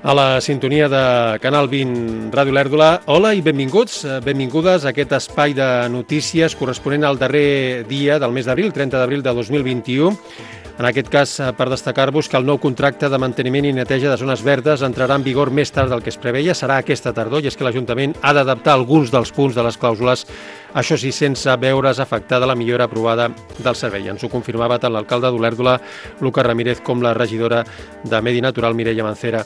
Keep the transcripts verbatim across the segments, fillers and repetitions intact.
A la sintonia de Canal vint Ràdio Olèrdola. Hola i benvinguts, benvingudes a aquest espai de notícies corresponent al darrer dia del mes d'abril, trenta d'abril de dos mil vint-i-u. En aquest cas, per destacar-vos que el nou contracte de manteniment i neteja de zones verdes entrarà en vigor més tard del que es preveia, serà aquesta tardor, i és que l'Ajuntament ha d'adaptar alguns dels punts de les clàusules, això sí, sense veure's afectada la millora aprovada del servei. Ens ho confirmava tant l'alcalde d'Olèrdola, Lucas Ramírez, com la regidora de Medi Natural, Mireia Mancera.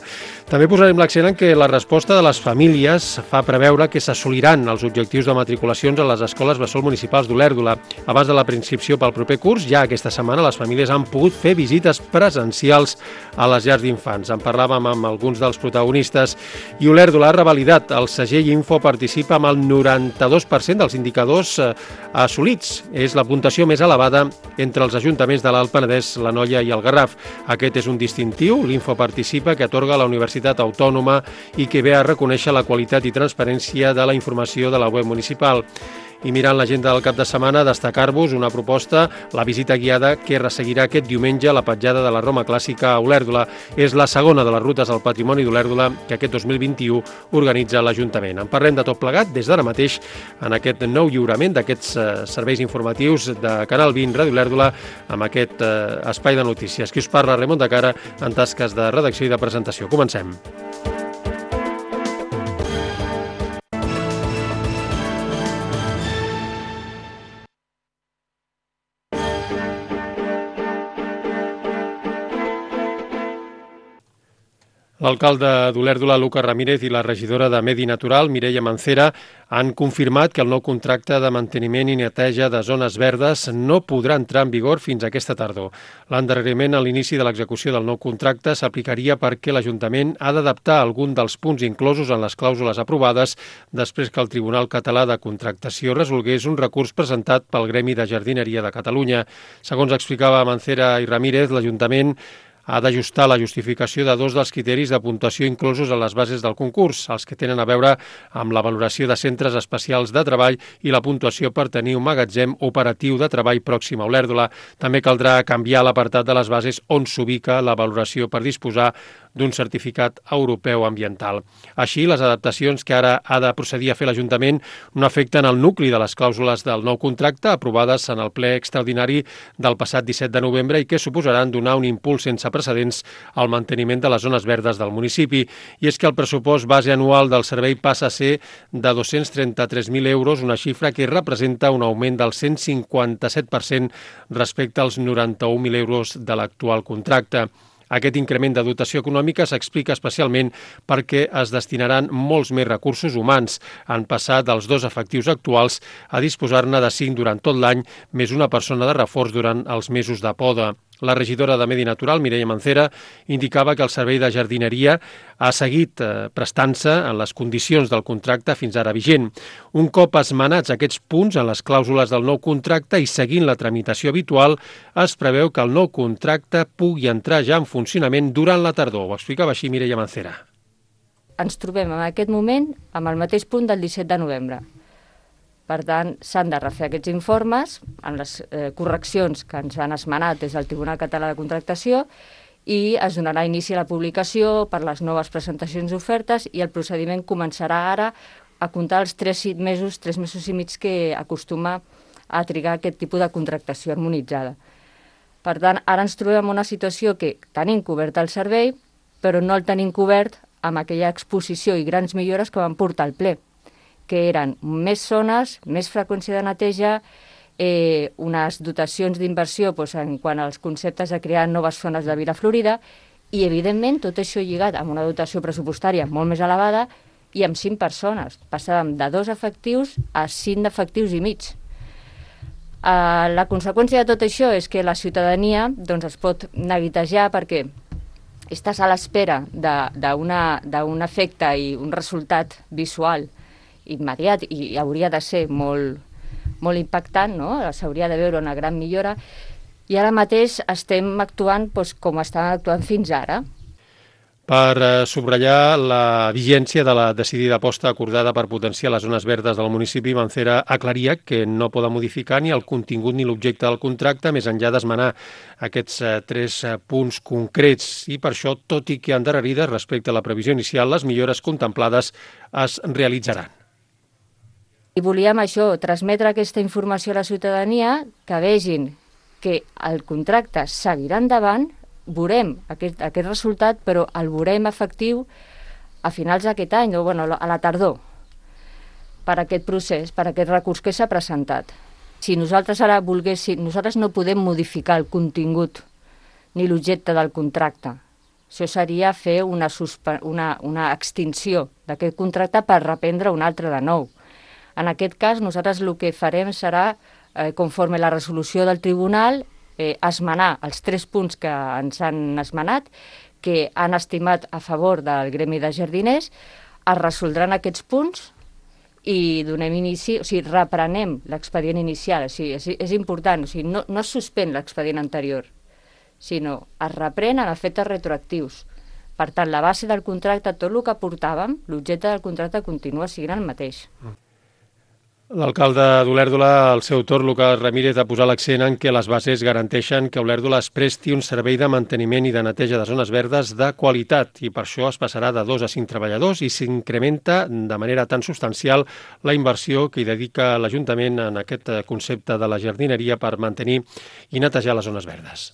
També posarem l'accent en que la resposta de les famílies fa preveure que s'assoliran els objectius de matriculacions a les escoles bressol municipals d'Olèrdola. Abans de la preinscripció pel proper curs, ja aquesta setmana les famílies han pogut fer visites presencials a les llars d'infants. En parlàvem amb alguns dels protagonistes i Olèrdola ha revalidat. El segell Info participa amb el noranta-dos per cent dels indicadors assolits. És la puntuació més elevada entre els ajuntaments de l'Alt Penedès, l'Anoia i el Garraf. Aquest és un distintiu, l'Info participa, que atorga la Universitat Autònoma i que ve a reconèixer la qualitat i transparència de la informació de la web municipal. I mirant l'agenda del cap de setmana, destacar-vos una proposta, la visita guiada que resseguirà aquest diumenge a la petjada de la Roma Clàssica a Olèrdola. És la segona de les rutes al patrimoni d'Olèrdola que aquest dos mil vint-i-u organitza l'Ajuntament. En parlem de tot plegat des d'ara mateix en aquest nou lliurament d'aquests eh, serveis informatius de Canal vint Ràdio Olèrdola amb aquest eh, espai de notícies. Qui us parla, Ramon de Cara, en tasques de redacció i de presentació. Comencem. L'alcalde d'Olèrdola, Lucas Ramírez, i la regidora de Medi Natural, Mireia Mancera, han confirmat que el nou contracte de manteniment i neteja de zones verdes no podrà entrar en vigor fins aquesta tardor. L'endarreriment a l'inici de l'execució del nou contracte s'aplicaria perquè l'Ajuntament ha d'adaptar algun dels punts inclosos en les clàusules aprovades després que el Tribunal Català de Contractació resolgués un recurs presentat pel Gremi de Jardineria de Catalunya. Segons explicava Mancera i Ramírez, l'Ajuntament ha d'ajustar la justificació de dos dels criteris de puntuació inclosos a les bases del concurs, els que tenen a veure amb la valoració de centres especials de treball i la puntuació per tenir un magatzem operatiu de treball pròxim a Olèrdola. També caldrà canviar l'apartat de les bases on s'ubica la valoració per disposar d'un certificat europeu ambiental. Així, les adaptacions que ara ha de procedir a fer l'Ajuntament no afecten el nucli de les clàusules del nou contracte aprovades en el ple extraordinari del passat disset de novembre i que suposaran donar un impuls sense precedents al manteniment de les zones verdes del municipi. I és que el pressupost base anual del servei passa a ser de dos-cents trenta-tres mil euros, una xifra que representa un augment del cent cinquanta-set per cent respecte als noranta-un mil euros de l'actual contracte. Aquest increment de dotació econòmica s'explica especialment perquè es destinaran molts més recursos humans. Han passat dels dos efectius actuals a disposar-ne de cinc durant tot l'any, més una persona de reforç durant els mesos de poda. La regidora de Medi Natural, Mireia Mancera, indicava que el servei de jardineria ha seguit eh, prestant-se en les condicions del contracte fins ara vigent. Un cop esmenats aquests punts en les clàusules del nou contracte i seguint la tramitació habitual, es preveu que el nou contracte pugui entrar ja en funcionament durant la tardor. Ho explicava així Mireia Mancera. Ens trobem en aquest moment amb el mateix punt del disset de novembre. Per tant, s'han de refer aquests informes en les eh, correccions que ens han esmenat des del Tribunal Català de Contractació i es donarà inici a la publicació per les noves presentacions d'ofertes i el procediment començarà ara a comptar els tres mesos, tres mesos i mig que acostuma a trigar aquest tipus de contractació harmonitzada. Per tant, ara ens trobem en una situació que tenim cobert el servei, però no el tenim cobert amb aquella exposició i grans millores que van portar al ple, que eren més zones, més freqüència de neteja, eh, unes dotacions d'inversió doncs, en quant als conceptes de crear noves zones de Vila Florida i, evidentment, tot això lligat amb una dotació pressupostària molt més elevada i amb cinc persones. Passàvem de dos efectius a cinc efectius i mig. Eh, la conseqüència de tot això és que la ciutadania doncs, es pot neguitejar perquè estàs a l'espera d'un efecte i un resultat visual immediat i hauria de ser molt, molt impactant, no? S'hauria de veure una gran millora i ara mateix estem actuant doncs, com estàvem actuant fins ara. Per eh, subratllar la vigència de la decidida aposta acordada per potenciar les zones verdes del municipi, Mancera aclaria que no poden modificar ni el contingut ni l'objecte del contracte, més enllà d'esmenar aquests eh, tres eh, punts concrets. I per això, tot i que endarrerides respecte a la previsió inicial, les millores contemplades es realitzaran. I volíem això, transmetre aquesta informació a la ciutadania, que vegin que el contracte seguirà endavant, veurem aquest, aquest resultat, però el veurem efectiu a finals d'aquest any, o bueno, a la tardor, per aquest procés, per aquest recurs que s'ha presentat. Si nosaltres ara volguéssim, nosaltres no podem modificar el contingut ni l'objecte del contracte. Això seria fer una, una, una extinció d'aquest contracte per reprendre un altre de nou. En aquest cas, nosaltres el que farem serà, eh, conforme la resolució del tribunal, eh, esmenar els tres punts que ens han esmenat, que han estimat a favor del gremi de jardiners, es resoldran aquests punts i donem inici, o sigui, reprenem l'expedient inicial. O sigui, és, és important, o sigui, no, no es suspèn l'expedient anterior, sinó es reprenen efectes retroactius. Per tant, la base del contracte, tot el que portàvem, l'objecte del contracte continua sent el mateix. L'alcalde d'Olèrdola, al seu torn, Lucas Ramírez, ha posat l'accent en què les bases garanteixen que Olèrdola es presti un servei de manteniment i de neteja de zones verdes de qualitat i per això es passarà de dos a cinc treballadors i s'incrementa de manera tan substancial la inversió que hi dedica l'Ajuntament en aquest concepte de la jardineria per mantenir i netejar les zones verdes.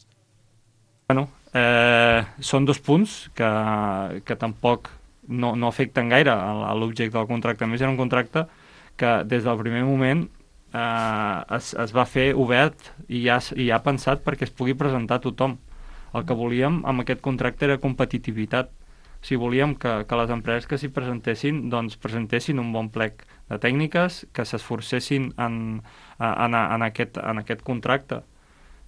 Bueno, eh, són dos punts que, que tampoc no, no afecten gaire a l'objecte del contracte. A més, era un contracte que des del primer moment eh, es, es va fer obert i ja, i ja pensat perquè es pugui presentar a tothom. El que volíem amb aquest contracte era competitivitat. O sigui, volíem que, que les empreses que s'hi presentessin doncs presentessin un bon plec de tècniques, que s'esforcessin en, en, en, aquest, en aquest contracte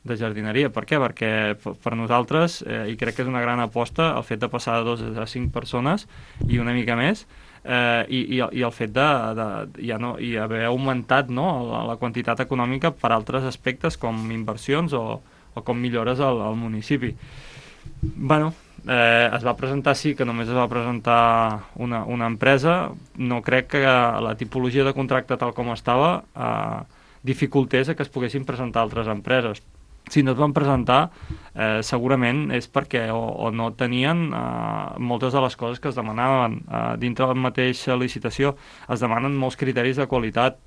de jardineria. Per què? Perquè per nosaltres, eh, i crec que és una gran aposta, el fet de passar de dos a cinc persones i una mica més, Eh, i, i, i el fet de, de ja no, i haver augmentat, no, la, la quantitat econòmica per altres aspectes com inversions o, o com millores al, al municipi. Bueno, eh, es va presentar, sí, que només es va presentar una, una empresa. No crec que la tipologia de contracte tal com estava eh, dificultés a que es poguessin presentar altres empreses. Si no es van presentar, eh, segurament és perquè o, o no tenien eh, moltes de les coses que es demanaven. Eh, dintre de la mateixa licitació es demanen molts criteris de qualitat,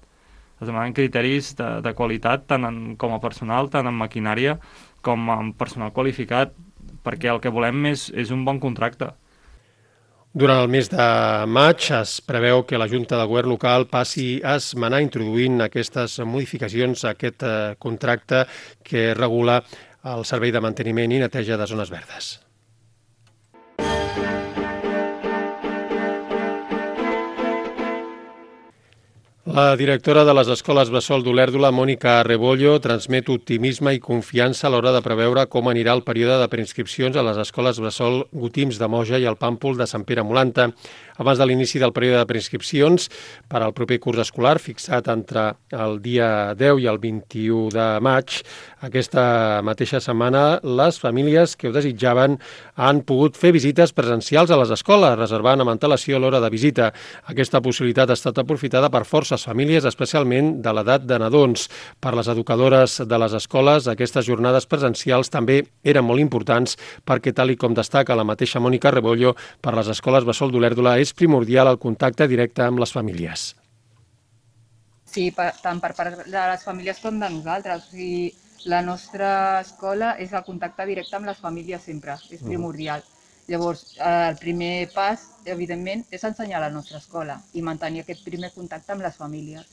es demanen criteris de, de qualitat tant en, com a personal, tant en maquinària com en personal qualificat, perquè el que volem és, és un bon contracte. Durant el mes de maig es preveu que la Junta de Govern local passi a esmenar introduint aquestes modificacions a aquest contracte que regula el servei de manteniment i neteja de zones verdes. La directora de les escoles bressol d'Olèrdola, Mònica Rebollo, transmet optimisme i confiança a l'hora de preveure com anirà el període de preinscripcions a les escoles bressol Gotims de Moja i el Pàmpol de Sant Pere Molanta. Abans de l'inici del període de preinscripcions per al proper curs escolar, fixat entre el dia deu i el vint-i-u de maig, aquesta mateixa setmana les famílies que ho desitjaven han pogut fer visites presencials a les escoles, reservant amb antelació l'hora de visita. Aquesta possibilitat ha estat aprofitada per forces famílies, especialment de l'edat de nadons. Per les educadores de les escoles, aquestes jornades presencials també eren molt importants perquè, tal i com destaca la mateixa Mònica Rebollo, per les escoles bressol d'Olèrdola és primordial el contacte directe amb les famílies. Sí, per, tant per part de les famílies com de nosaltres. O sigui, la nostra escola és el contacte directe amb les famílies sempre, és primordial. Llavors, el primer pas, evidentment, és ensenyar la nostra escola i mantenir aquest primer contacte amb les famílies.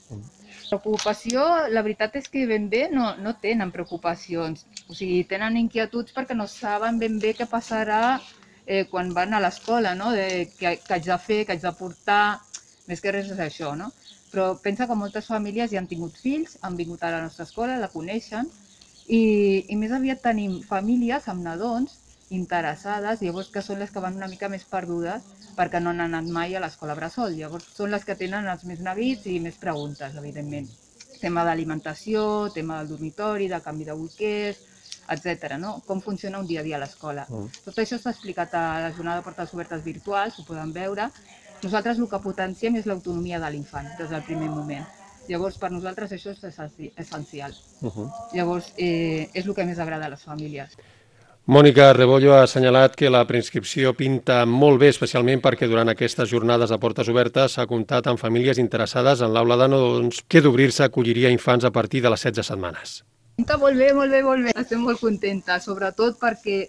Preocupació, la veritat és que ben bé no, no tenen preocupacions. O sigui, tenen inquietuds perquè no saben ben bé què passarà eh, quan van a l'escola, no? De què, què haig de fer, què haig de portar, més que res és això, no? Però pensa que moltes famílies ja han tingut fills, han vingut a la nostra escola, la coneixen, i, i més aviat tenim famílies amb nadons interessades, llavors que són les que van una mica més perdudes perquè no han anat mai a l'escola bressol. Llavors són les que tenen els més neguits i més preguntes, evidentment. Tema d'alimentació, tema del dormitori, de canvi de bolquers, etcètera. No? Com funciona un dia a dia a l'escola. Mm. Tot això està explicat a la jornada de portes obertes virtuals, ho poden veure. Nosaltres el que potenciem és l'autonomia de l'infant des del primer moment. Llavors, per nosaltres això és essencial. Uh -huh. Llavors, eh, és el que més agrada a les famílies. Mònica Rebollo ha assenyalat que la preinscripció pinta molt bé, especialment perquè durant aquestes jornades de portes obertes s'ha comptat amb famílies interessades en l'aula de nadons que d'obrir-se acolliria infants a partir de les setze setmanes. Pinta molt bé, molt bé, molt bé. Estem molt contentes, sobretot perquè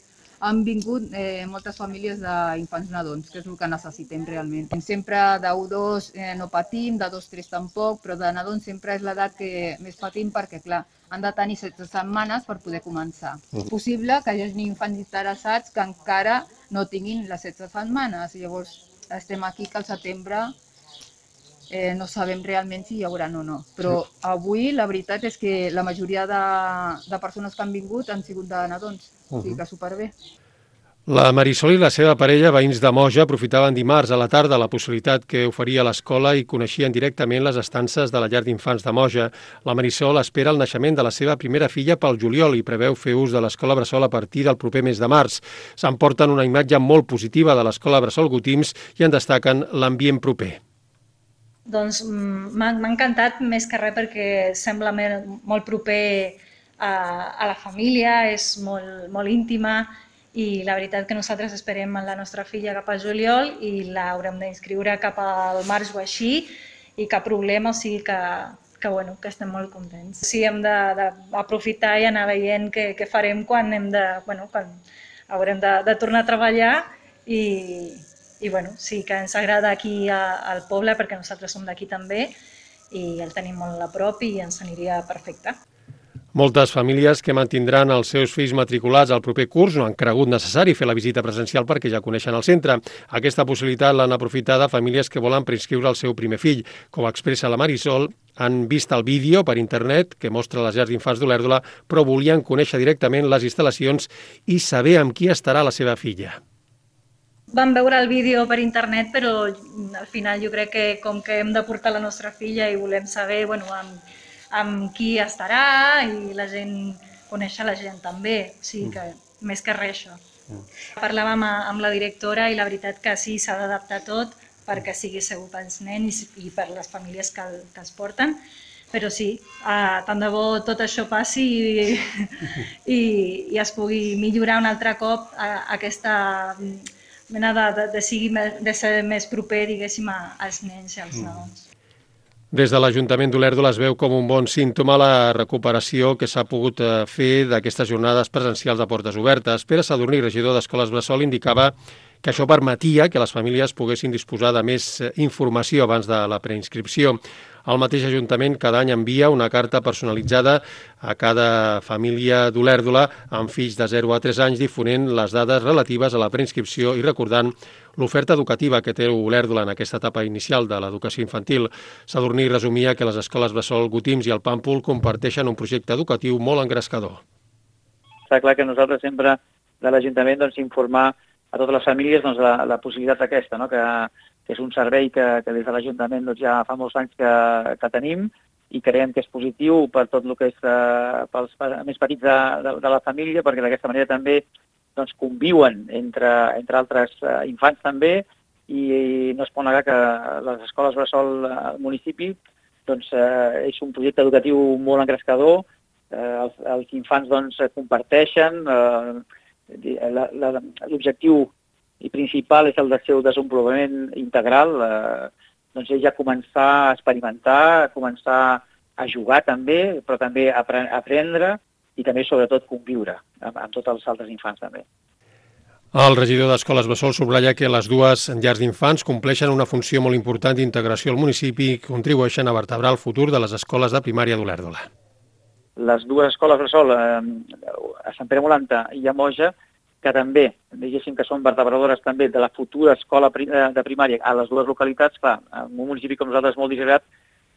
han vingut eh, moltes famílies d'infants nadons, que és el que necessitem realment. Sempre de u dos eh, no patim, de dos tres tampoc, però de nadons sempre és l'edat que més patim perquè, clar, han de tenir setze setmanes per poder començar. Uh -huh. És possible que hi hagi infants interessats que encara no tinguin les setze setmanes. Llavors, estem aquí que al setembre eh, no sabem realment si hi haurà o no. Però sí. Avui la veritat és que la majoria de, de persones que han vingut han sigut de nadons. Uh -huh. O sigui que superbé. La Marisol i la seva parella, veïns de Moja, aprofitaven dimarts a la tarda la possibilitat que oferia l'escola i coneixien directament les estances de la llar d'infants de Moja. La Marisol espera el naixement de la seva primera filla pel juliol i preveu fer ús de l'escola bressol a partir del proper mes de març. S'emporten una imatge molt positiva de l'escola bressol Gotims i en destaquen l'ambient proper. Doncs m'ha encantat més que res perquè sembla molt proper a, a la família, és molt, molt íntima, i la veritat que nosaltres esperem la nostra filla cap al juliol i l'haurem d'inscriure cap al març o així, i cap problema, o sigui que, que, bueno, que estem molt contents. Sí, hem d'aprofitar i anar veient què, què farem quan, hem de, bueno, quan haurem de, de tornar a treballar i, i bueno, sí que ens agrada aquí a, al poble perquè nosaltres som d'aquí també i el tenim molt a prop i ens aniria perfecte. Moltes famílies que mantindran els seus fills matriculats al proper curs no han cregut necessari fer la visita presencial perquè ja coneixen el centre. Aquesta possibilitat l'han aprofitada famílies que volen preinscriure el seu primer fill. Com expressa la Marisol, han vist el vídeo per internet que mostra les llars d'infants d'Olèrdola, però volien conèixer directament les instal·lacions i saber amb qui estarà la seva filla. Vam veure el vídeo per internet, però al final jo crec que com que hem de portar la nostra filla i volem saber, bueno, amb amb qui estarà i la gent, conèixer la gent també, o sigui que més que res això. Parlàvem amb la directora i la veritat que sí, s'ha d'adaptar tot perquè sigui segur pels nens i per les famílies que, el, que els porten, però sí, eh, tant de bo tot això passi i, i, i es pugui millorar un altre cop a, a aquesta mena de, de, de, sigui, de ser més proper, diguéssim, als nens i als nadons. Des de l'Ajuntament d'Olèrdola es veu com un bon símptoma la recuperació que s'ha pogut fer d'aquestes jornades presencials de portes obertes. Pere Sadurní, regidor d'Escoles Bressol, indicava que això permetia que les famílies poguessin disposar de més informació abans de la preinscripció. El mateix Ajuntament cada any envia una carta personalitzada a cada família d'Olèrdola amb fills de zero a tres anys difonent les dades relatives a la preinscripció i recordant l'oferta educativa que té Olèrdola en aquesta etapa inicial de l'educació infantil. Sadurní resumia que les escoles Bressol Gotims i el Pàmpol comparteixen un projecte educatiu molt engrescador. Està clar que nosaltres sempre de l'Ajuntament doncs, informar a totes les famílies doncs, la, la possibilitat aquesta, no? que, que és un servei que, que des de l'Ajuntament doncs, ja fa molts anys que, que tenim i creiem que és positiu per tot el que és eh, pels més petits de, de, de la família, perquè d'aquesta manera també doncs, conviuen entre, entre altres eh, infants també i no es pot negar que les escoles bressol al municipi doncs, eh, és un projecte educatiu molt engrescador, eh, els, els infants doncs, comparteixen, eh, l'objectiu principal és el del seu desenvolupament integral, eh, doncs és ja començar a experimentar, a començar a jugar també, però també a aprendre i també, sobretot, conviure amb, amb tots els altres infants també. El regidor d'Escoles Bressol subratlla que les dues llars d'infants compleixen una funció molt important d'integració al municipi i contribueixen a vertebrar el futur de les escoles de primària d'Olèrdola. Les dues escoles Bressol, eh, a Sant Pere Molanta i a Moja, que també, diguéssim que són vertebradores també de la futura escola de primària a les dues localitats, clar, en un municipi com nosaltres molt disgregat,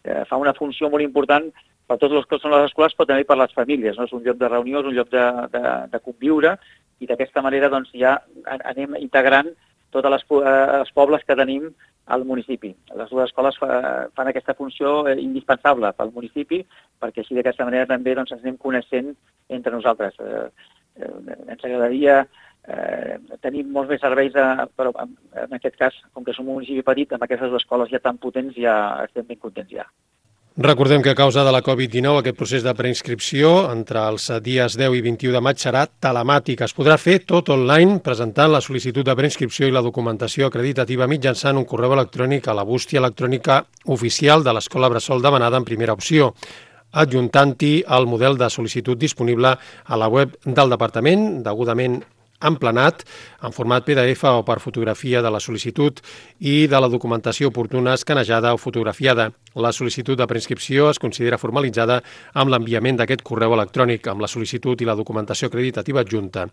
eh, fa una funció molt important per tots els que són les escoles, però també per les famílies, no? És un lloc de reunió, és un lloc de, de, de conviure, i d'aquesta manera doncs, ja anem integrant tots les, eh, els pobles que tenim al municipi. Les dues escoles fa, fan aquesta funció eh, indispensable pel municipi, perquè així d'aquesta manera també doncs, ens anem coneixent entre nosaltres. Eh, eh, ens agradaria eh, tenir molts més serveis, a, però en, en aquest cas, com que som un municipi petit, amb aquestes dues escoles ja tan potents ja estem ben contents ja. Recordem que a causa de la covid dinou aquest procés de preinscripció entre els dies deu i vint-i-u de maig serà telemàtic. Es podrà fer tot online presentant la sol·licitud de preinscripció i la documentació acreditativa mitjançant un correu electrònic a la bústia electrònica oficial de l'Escola Bressol demanada en primera opció, adjuntant-hi el model de sol·licitud disponible a la web del Departament, degudament emplenat en format P D F o per fotografia de la sol·licitud i de la documentació oportuna escanejada o fotografiada. La sol·licitud de preinscripció es considera formalitzada amb l'enviament d'aquest correu electrònic amb la sol·licitud i la documentació acreditativa adjunta.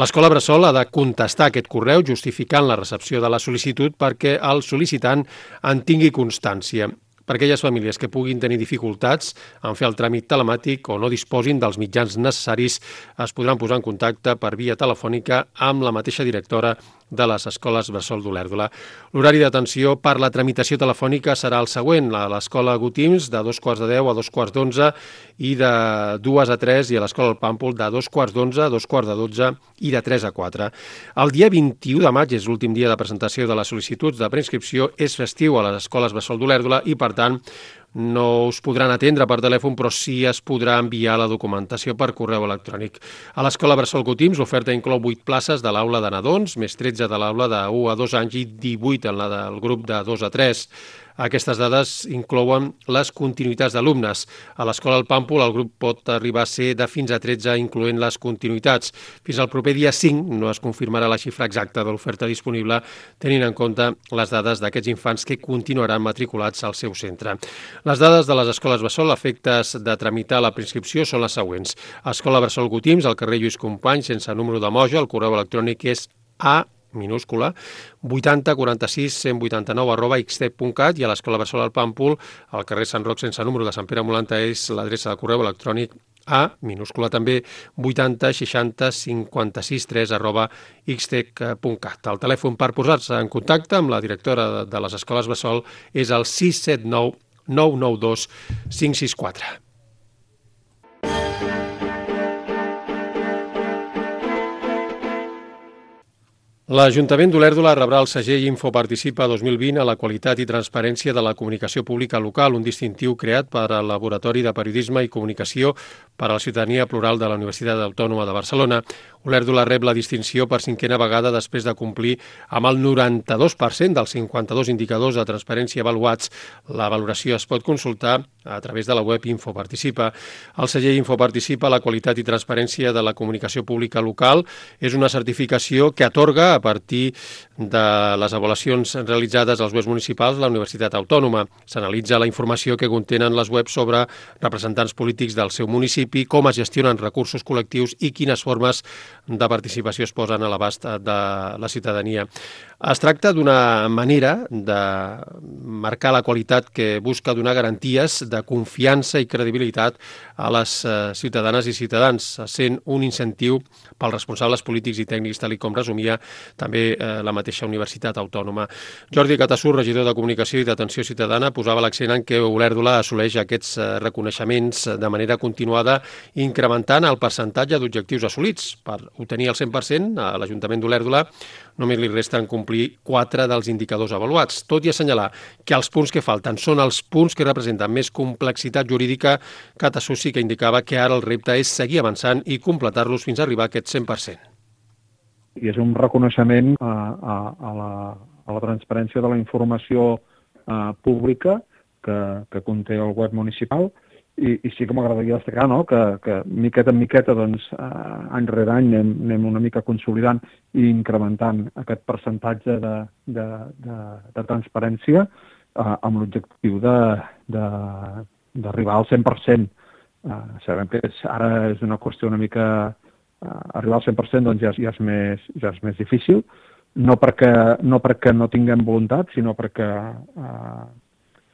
L'Escola Bressol ha de contestar aquest correu justificant la recepció de la sol·licitud perquè el sol·licitant en tingui constància. Per aquelles famílies que puguin tenir dificultats en fer el tràmit telemàtic o no disposin dels mitjans necessaris, es podran posar en contacte per via telefònica amb la mateixa directora de les escoles Bressol d'Olèrdola. L'horari d'atenció per la tramitació telefònica serà el següent: a l'escola Gotims de dos quarts de deu a dos quarts d'onze i de dues a tres, i a l'escola El Pàmpol de dos quarts d'onze a dos quarts de dotze i de tres a quatre. El dia vint-i-u de maig és l'últim dia de presentació de les sol·licituds de preinscripció, és festiu a les escoles Bressol d'Olèrdola i, per tant, no us podran atendre per telèfon, però sí es podrà enviar la documentació per correu electrònic. A l'escola Bressol Gotims l'oferta inclou vuit places de l'aula de nadons, més tretze de l'aula de u a dos anys i divuit en la del grup de dos a tres. Aquestes dades inclouen les continuïtats d'alumnes. A l'escola El Pàmpol el grup pot arribar a ser de fins a tretze, incloent les continuïtats. Fins al proper dia cinc no es confirmarà la xifra exacta de l'oferta disponible, tenint en compte les dades d'aquests infants que continuaran matriculats al seu centre. Les dades de les escoles Bressol a efectes de tramitar la preinscripció són les següents. Escola Bressol Gotims, al carrer Lluís Companys, sense número de moja, el correu electrònic és a minúscula, vuitanta quaranta-sis cent vuitanta-nou arroba xtec punt cat, i a l'escola Bressol al Pàmpol, al carrer Sant Roc sense número de Sant Pere Molanta, és l'adreça de correu electrònic a minúscula també vuitanta seixanta cinquanta-sis tres arroba xtec punt cat. El telèfon per posar-se en contacte amb la directora de les escoles Bressol és el sis set nou nou nou dos cinc sis quatre. L'Ajuntament d'Olèrdola rebrà el segell Infoparticipa dos mil vint a la qualitat i transparència de la comunicació pública local, un distintiu creat per al Laboratori de Periodisme i Comunicació per a la Ciutadania Plural de la Universitat Autònoma de Barcelona. Olèrdola rep la distinció per cinquena vegada després de complir amb el noranta-dos per cent dels cinquanta-dos indicadors de transparència avaluats. La valoració es pot consultar a través de la web Infoparticipa. El segell Infoparticipa, la qualitat i transparència de la comunicació pública local, és una certificació que atorga a partir de les avaluacions realitzades als webs municipals de la Universitat Autònoma. S'analitza la informació que contenen les webs sobre representants polítics del seu municipi, com es gestionen recursos col·lectius i quines formes de participació es posen a l'abast de la ciutadania. Es tracta d'una manera de marcar la qualitat que busca donar garanties de confiança i credibilitat a les ciutadanes i ciutadans, sent un incentiu pels responsables polítics i tècnics, tal com resumia també la mateixa Universitat Autònoma. Jordi Catassur, regidor de Comunicació i d'Atenció Ciutadana, posava l'accent en que Olèrdola assoleix aquests reconeixements de manera continuada, incrementant el percentatge d'objectius assolits. Per obtenir el cent per cent, a l'Ajuntament d'Olèrdola només li resten complir quatre dels indicadors avaluats, tot i assenyalar que els punts que falten són els punts que representen més complexitat jurídica. Catassur sí que indicava que ara el repte és seguir avançant i completar-los fins a arribar a aquest cent per cent. I és un reconeixement a, a, a, la, a la transparència de la informació uh, pública que, que conté el web municipal, i, i sí que m'agradaria destacar, no?, que, que miqueta en miqueta, doncs, uh, any rere any anem, anem una mica consolidant i incrementant aquest percentatge de, de, de, de transparència uh, amb l'objectiu de, de, d'arribar al cent per cent. Uh, sabem que és, ara és una qüestió una mica... Uh, arribar al cent per cent doncs ja, ja, és més, ja és més difícil, no perquè no, perquè no tinguem voluntat, sinó perquè uh,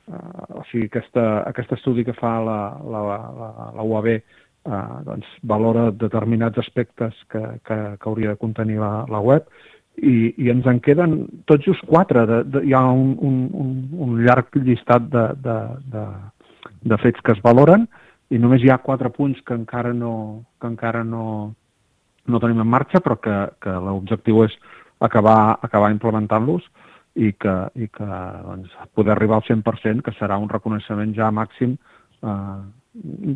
uh, o sigui, aquesta, aquest estudi que fa la, la, la, la U A B uh, doncs, valora determinats aspectes que, que, que hauria de contenir la, la web, i, i ens en queden tot just quatre. De, de, hi ha un, un, un, un llarg llistat de, de, de, de fets que es valoren i només hi ha quatre punts que encara no, que encara no, no tenim en marxa, però que, que l'objectiu és acabar, acabar implementant-los i que, i que doncs, poder arribar al cent per cent, que serà un reconeixement ja màxim, eh,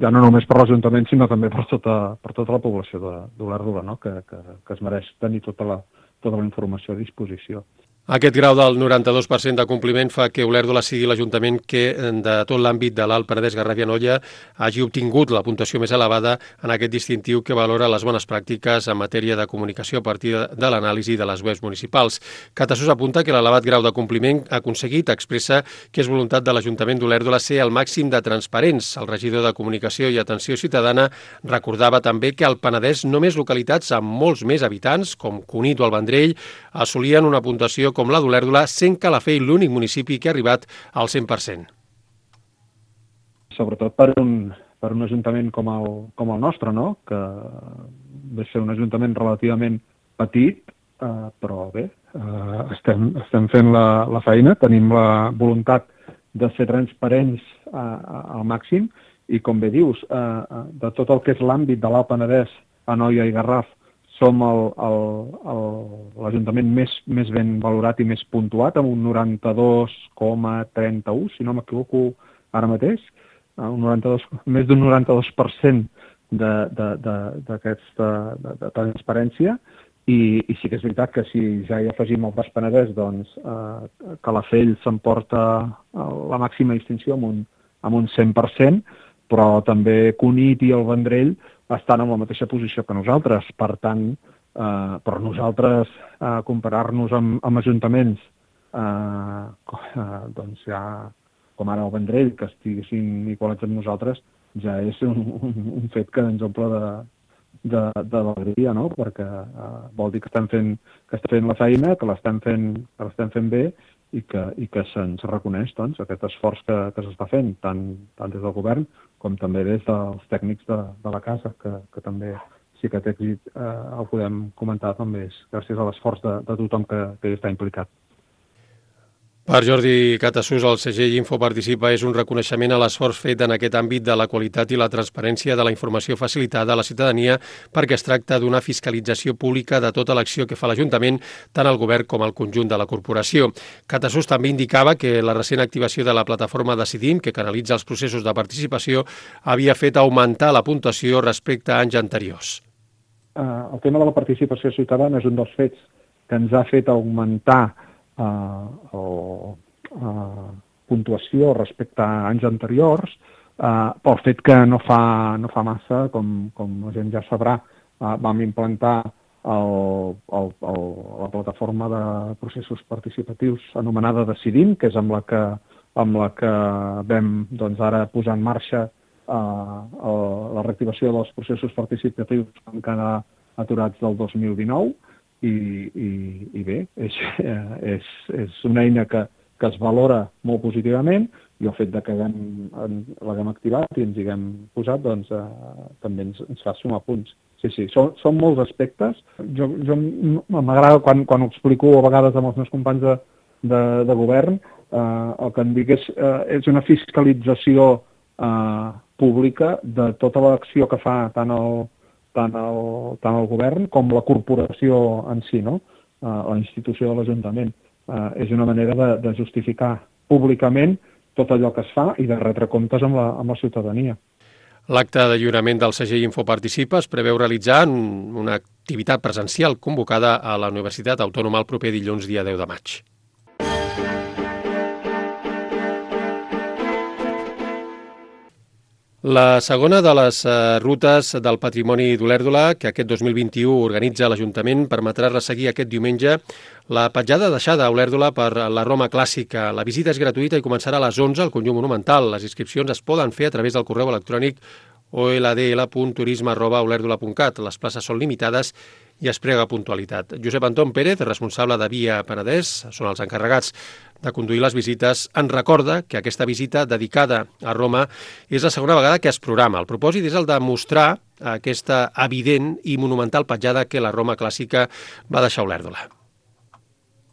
ja no només per l'Ajuntament, sinó també per tota, per tota la població d'Olèrdola, no? que, que, que es mereix tenir tota la, tota la informació a disposició. Aquest grau del noranta-dos per cent de compliment fa que Olèrdola sigui l'Ajuntament que de tot l'àmbit de l'Alt Penedès Garraf-Anoia hagi obtingut la puntuació més elevada en aquest distintiu que valora les bones pràctiques en matèria de comunicació a partir de l'anàlisi de les webs municipals. Catasús apunta que l'elevat grau de compliment aconseguit expressa que és voluntat de l'Ajuntament d'Olèrdola ser el màxim de transparents. El regidor de Comunicació i Atenció Ciutadana recordava també que al Penedès només localitats amb molts més habitants, com Cunit o el Vendrell, assolien una puntuació com la d'Olèrdola, sent Calafell l'únic municipi que ha arribat al cent per cent. Sobretot per un, per un ajuntament com el, com el nostre, no? Que ve ser un ajuntament relativament petit, eh, però bé, eh, estem, estem fent la, la feina, tenim la voluntat de ser transparents eh, al màxim i, com bé dius, eh, de tot el que és l'àmbit de l'Alt Penedès, Anoia i Garraf, som l'Ajuntament més, més ben valorat i més puntuat, amb un noranta-dos coma trenta-u, si no m'equivoco ara mateix, un noranta-dos, més d'un noranta-dos per cent d'aquesta de, de, de transparència, i, i sí que és veritat que si ja hi afegim el Baix Penedès, doncs eh, Calafell s'emporta la màxima distinció amb un, amb un cent per cent, però també Cunit i el Vendrell estan en la mateixa posició que nosaltres. Per tant, eh, per nosaltres eh, comparar-nos amb, amb ajuntaments eh, eh, doncs ja, com ara el Vendrell, que estiguessin igualats amb nosaltres, ja és un, un, un fet que ens omple de, de, de l'alegria, no? Perquè eh, vol dir que estem fent, que estem fent la feina, que l'estem fent, que l'estem fent bé, i que, i que se'ns reconeix doncs, aquest esforç que, que s'està fent, tant, tant des del govern com també des dels tècnics de, de la casa, que, que també, si aquest èxit eh, el podem comentar, també és gràcies a l'esforç de, de tothom que, que hi està implicat. Per Jordi Catasús, el segell Infoparticipa és un reconeixement a l'esforç fet en aquest àmbit de la qualitat i la transparència de la informació facilitada a la ciutadania, perquè es tracta d'una fiscalització pública de tota l'acció que fa l'Ajuntament, tant el govern com el conjunt de la corporació. Catasús també indicava que la recent activació de la plataforma Decidim, que canalitza els processos de participació, havia fet augmentar la puntuació respecte a anys anteriors. Uh, el tema de la participació ciutadana és un dels fets que ens ha fet augmentar Uh, o uh, puntuació respecte a anys anteriors, uh, pel fet que no fa, no fa massa, com, com la gent ja sabrà, uh, vam implantar el, el, el, la plataforma de processos participatius anomenada Decidim, que és amb la que, amb la que vam doncs, ara posar en marxa uh, el, la reactivació dels processos participatius que van quedar aturats del dos mil dinou. I, i, i bé, és, és, és una eina que, que es valora molt positivament, i el fet de que l'haguem activat i ens hi haguem posat, doncs eh, també ens, ens fa sumar punts. Sí, sí, són, són molts aspectes. Jo, jo m'agrada quan, quan ho explico a vegades amb els meus companys de, de, de govern, eh, el que em dic és, eh, és una fiscalització eh, pública de tota l'acció que fa tant el tant el, tant el govern com la corporació en si, no? Uh, la institució de l'Ajuntament. Uh, és una manera de, de justificar públicament tot allò que es fa i de retre comptes amb la, amb la ciutadania. L'acte de lliurament del segell Infoparticipa es preveu realitzar en una activitat presencial convocada a la Universitat Autònoma el proper dilluns, dia deu de maig. La segona de les uh, rutes del patrimoni d'Olèrdola, que aquest dos mil vint-i-u organitza l'Ajuntament, permetrà resseguir aquest diumenge la petjada deixada a Olèrdola per la Roma clàssica. La visita és gratuïta i començarà a les onze al conjunt monumental. Les inscripcions es poden fer a través del correu electrònic o l d l punt turisme arroba olèrdola punt cat. Les places són limitades i es prega puntualitat. Josep Anton Pérez, responsable de Via Penedès, són els encarregats de conduir les visites, en recorda que aquesta visita dedicada a Roma és la segona vegada que es programa. El propòsit és el de mostrar aquesta evident i monumental petjada que la Roma clàssica va deixar a Olèrdola.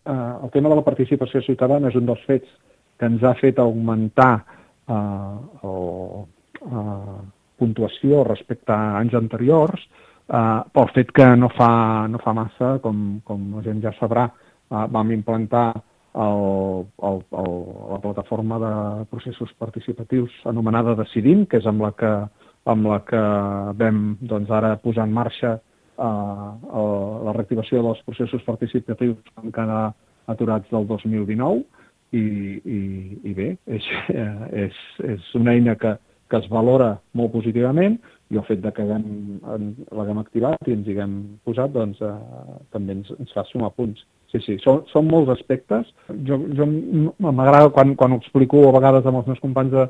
eh, el tema de la participació ciutadana és un dels fets que ens ha fet augmentar eh, el, eh, puntuació respecte a anys anteriors, eh, pel fet que no fa, no fa massa, com, com la gent ja sabrà, eh, vam implantar el, el, el, la plataforma de processos participatius anomenada Decidim, que és amb la que, amb la que vam doncs, ara posar en marxa eh, el, la reactivació dels processos participatius que van quedar aturats del dos mil dinou, i, i, i bé, és, és, és una eina que, que es valora molt positivament, i el fet de que l'haguem activat i ens hi haguem posat, doncs eh, també ens, ens fa sumar punts. Sí, sí, són, són molts aspectes. Jo, jo m'agrada quan, quan ho explico a vegades amb els meus companys de,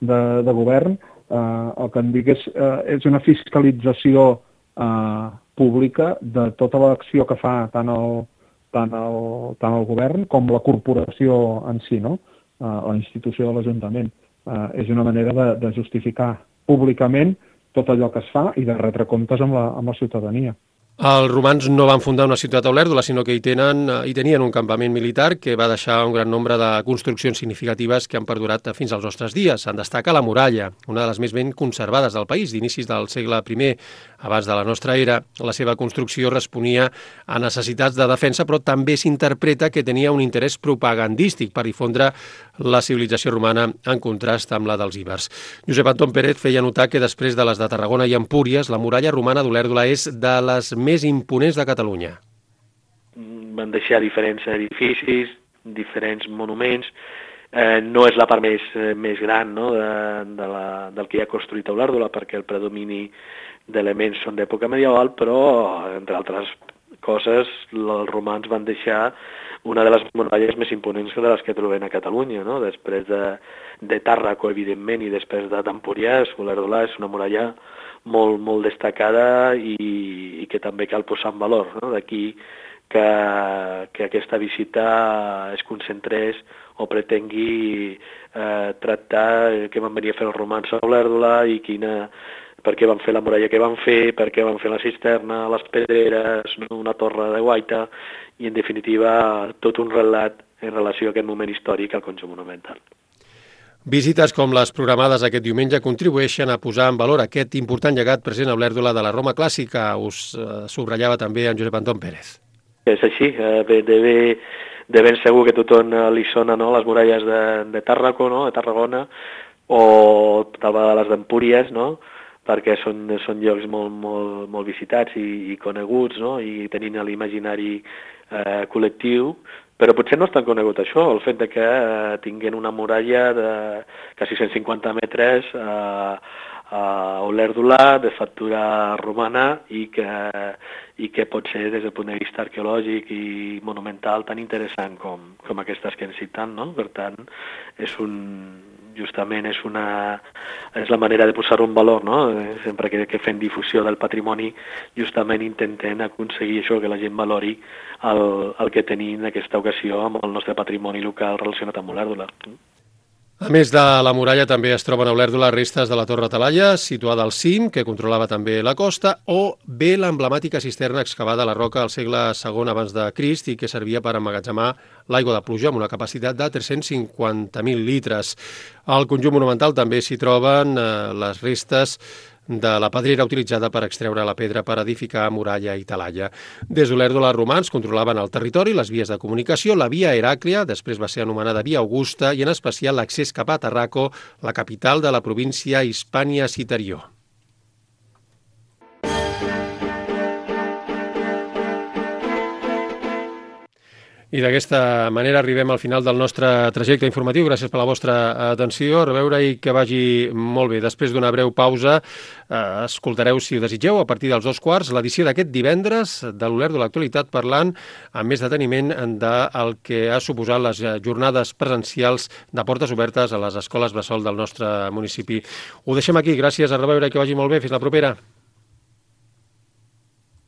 de, de govern, eh, el que em dic és, eh, és una fiscalització eh, pública de tota l'acció que fa tant el, tant, el, tant el govern com la corporació en si, no? eh, la institució de l'Ajuntament. Eh, és una manera de, de justificar públicament tot allò que es fa i de retre comptes amb la, amb la ciutadania. Els romans no van fundar una ciutat a Olèrdola, sinó que hi, tenen, hi tenien un campament militar que va deixar un gran nombre de construccions significatives que han perdurat fins als nostres dies. En destaca la muralla, una de les més ben conservades del país, d'inicis del segle primer, abans de la nostra era. La seva construcció responia a necessitats de defensa, però també s'interpreta que tenia un interès propagandístic per difondre la civilització romana en contrast amb la dels ibers. Josep Anton Pérez feia notar que després de les de Tarragona i Empúries, la muralla romana d'Olèrdola és de les més imponents de Catalunya. Van deixar diferents edificis, diferents monuments. Eh, no és la part més, eh, més gran, no? de, de la, del que hi ha construït a Olèrdola, perquè el predomini d'elements són d'època medieval, però, entre altres coses, els romans van deixar una de les muralles més imponents de les que trobem a Catalunya, no? Després de, de Tàrraco, evidentment, i després de Empúries, Olèrdola és una muralla molt, molt destacada i, i que també cal posar en valor, no? D'aquí que, que aquesta visita es concentrés o pretengui eh, tractar què van venir a fer els romans a Olèrdola i quina, per què van fer la muralla que van fer, per què van fer la cisterna, les pedreres, una torre de guaita i, en definitiva, tot un relat en relació a aquest moment històric al conjunt monumental. Visites com les programades aquest diumenge contribueixen a posar en valor aquest important llegat present a Olèrdola de la Roma clàssica. Us eh, subratllava també en Josep Anton Pérez. És així, eh, de, de, de ben segur que a tothom li sona, no?, les muralles de, de Tàrraco, no?, de Tarragona, o tal vegada les d'Empúries, no?, perquè són, són llocs molt, molt, molt visitats i, i coneguts, no?, i tenint l'imaginari eh, col·lectiu, però potser no és tan conegut això, el fet de que eh, tinguin una muralla de quasi cent cinquanta metres eh, a Olèrdola, de factura romana, i que, i que pot ser, des del punt de vista arqueològic i monumental, tan interessant com, com aquestes que hem citat, no? Per tant, és un, justament és, una, és la manera de posar un valor, no? Sempre que, que fem difusió del patrimoni, justament intentem aconseguir això, que la gent valori el, el que tenim en aquesta ocasió amb el nostre patrimoni local relacionat amb Olèrdola. A més de la muralla, també es troben a Olèrdola restes de la Torre Talaia, situada al cim, que controlava també la costa, o bé l'emblemàtica cisterna excavada a la roca al segle segon abans de Crist i que servia per emmagatzemar l'aigua de pluja amb una capacitat de tres-cents cinquanta mil litres. Al conjunt monumental també s'hi troben eh, les restes de la pedrera utilitzada per extreure la pedra per edificar muralla i talaia. Des d'Olèrdola, els romans controlaven el territori, les vies de comunicació, la via Heràclia, després va ser anomenada via Augusta, i en especial l'accés cap a Tarraco, la capital de la província Hispània Citerior. I d'aquesta manera arribem al final del nostre trajecte informatiu. Gràcies per la vostra atenció. A reveure i que vagi molt bé. Després d'una breu pausa, eh, escoltareu, si ho desitgeu, a partir dels dos quarts, l'edició d'aquest divendres de l'Olèrdola de l'actualitat, parlant amb més deteniment del que ha suposat les jornades presencials de portes obertes a les escoles bressol del nostre municipi. Ho deixem aquí. Gràcies, a reveure i que vagi molt bé. Fins la propera.